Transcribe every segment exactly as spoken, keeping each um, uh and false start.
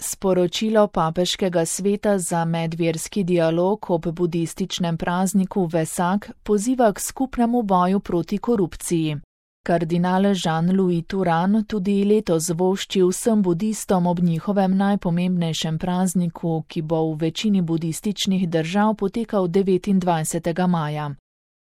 Sporočilo Papeškega sveta za medverski dialog ob budističnem prazniku Vesak poziva k skupnemu boju proti korupciji. Kardinal Jean-Louis Turhan tudi letos vošči vsem budistom ob njihovem najpomembnejšem prazniku, ki bo v večini budističnih držav potekal devetindvajsetega maja.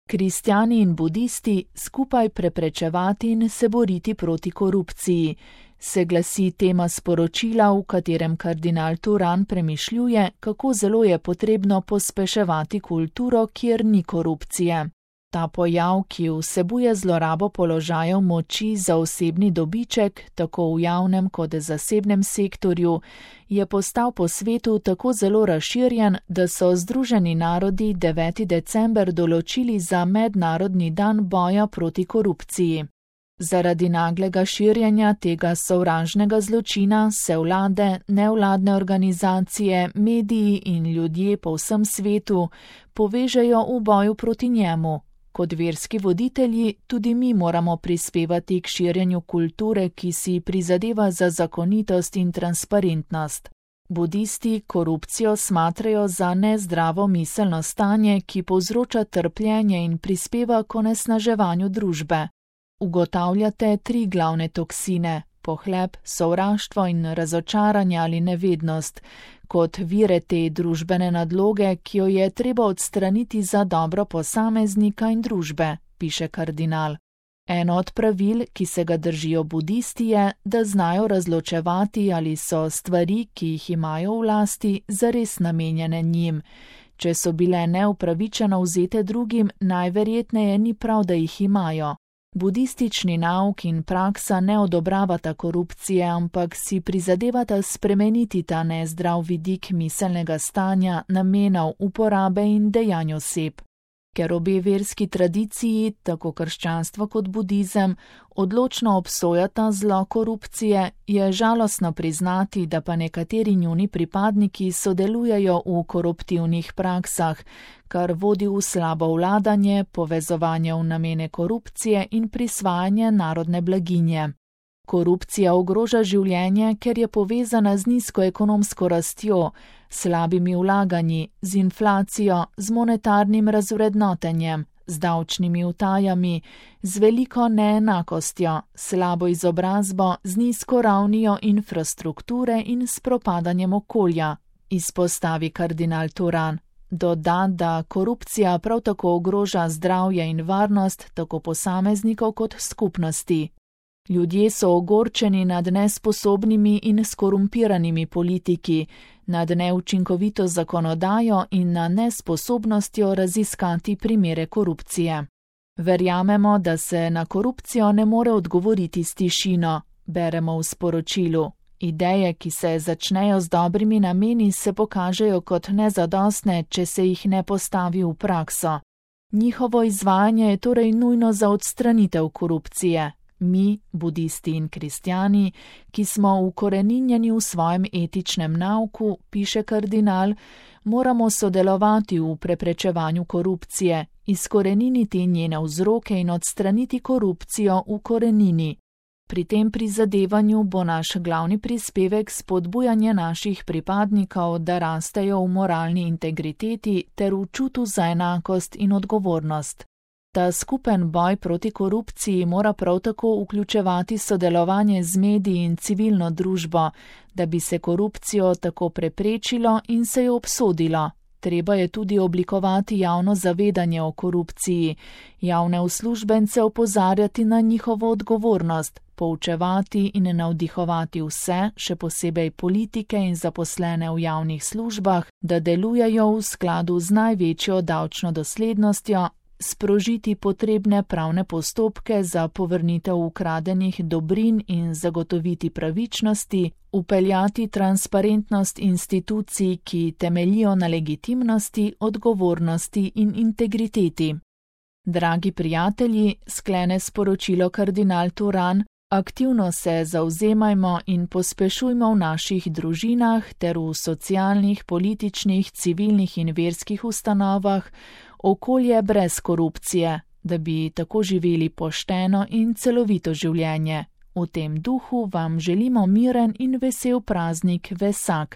Kristjani in budisti skupaj preprečevati in se boriti proti korupciji, se glasi tema sporočila, v katerem kardinal Turhan premišljuje, kako zelo je potrebno pospeševati kulturo, kjer ni korupcije. Ta pojav, ki vsebuje zlorabo položajev moči za osebni dobiček, tako v javnem kot zasebnem sektorju, je postal po svetu tako zelo razširjen, da so Združeni narodi deveti december določili za mednarodni dan boja proti korupciji. Zaradi naglega širjenja tega sovražnega zločina se vlade, nevladne organizacije, mediji in ljudje po vsem svetu povežejo v boju proti njemu. Kot verski voditelji tudi mi moramo prispevati k širjenju kulture, ki si prizadeva za zakonitost in transparentnost. Budisti korupcijo smatrajo za nezdravo miselno stanje, ki povzroča trpljenje in prispeva k onesnaževanju družbe. Ugotavljate tri glavne toksine: pohleb, sovraštvo in razočaranje ali nevednost, kot vire te družbene nadloge, ki jo je treba odstraniti za dobro posameznika in družbe, piše kardinal. Eno od pravil, ki se ga držijo budisti, je, da znajo razločevati, ali so stvari, ki jih imajo v lasti, zares namenjene njim. Če so bile neupravičeno vzete drugim, najverjetneje ni prav, da jih imajo. Budistični nauk in praksa ne odobravata korupcije, ampak si prizadevata spremeniti ta nezdrav vidik miselnega stanja, namenov, uporabe in dejanj oseb. Ker obe verski tradiciji, tako krščanstvo kot budizem, odločno obsojata zlo korupcije, je žalostno priznati, da pa nekateri njuni pripadniki sodelujejo v koruptivnih praksah, kar vodi v slabo vladanje, povezovanje v namene korupcije in prisvajanje narodne blaginje. Korupcija ogroža življenje, ker je povezana z nizko ekonomsko rastjo, slabimi vlaganji, z inflacijo, z monetarnim razvrednotenjem, z davčnimi utajami, z veliko neenakostjo, slabo izobrazbo, z nizko ravnijo infrastrukture in s propadanjem okolja, izpostavi kardinal Turhan. Doda, da korupcija prav tako ogroža zdravje in varnost tako posameznikov kot skupnosti. Ljudje so ogorčeni nad nesposobnimi in skorumpiranimi politiki, nad neučinkovito zakonodajo in nad nesposobnostjo raziskati primere korupcije. Verjamemo, da se na korupcijo ne more odgovoriti s tišino, beremo v sporočilu. Ideje, ki se začnejo z dobrimi nameni, se pokažejo kot nezadostne, če se jih ne postavi v prakso. Njihovo izvajanje je torej nujno za odstranitev korupcije. Mi, budisti in kristjani, ki smo ukoreninjeni v svojem etičnem nauku, piše kardinal, moramo sodelovati v preprečevanju korupcije, izkoreniniti njene vzroke in odstraniti korupcijo v korenini. Pri tem prizadevanju bo naš glavni prispevek spodbujanje naših pripadnikov, da rastejo v moralni integriteti ter v čutu za enakost in odgovornost. Ta skupen boj proti korupciji mora prav tako vključevati sodelovanje z mediji in civilno družbo, da bi se korupcijo tako preprečilo in se jo obsodilo. Treba je tudi oblikovati javno zavedanje o korupciji, javne uslužbence opozarjati na njihovo odgovornost, poučevati in navdihovati vse, še posebej politike in zaposlene v javnih službah, da delujejo v skladu z največjo davčno doslednostjo, sprožiti potrebne pravne postopke za povrnitev ukradenih dobrin in zagotoviti pravičnosti, upeljati transparentnost institucij, ki temeljijo na legitimnosti, odgovornosti in integriteti. Dragi prijatelji, sklene sporočilo kardinal Turhan, aktivno se zavzemajmo in pospešujmo v naših družinah ter v socialnih, političnih, civilnih in verskih ustanovah okolje brez korupcije, da bi tako živeli pošteno in celovito življenje, V tem duhu vam želimo miren in vesel praznik Vesak.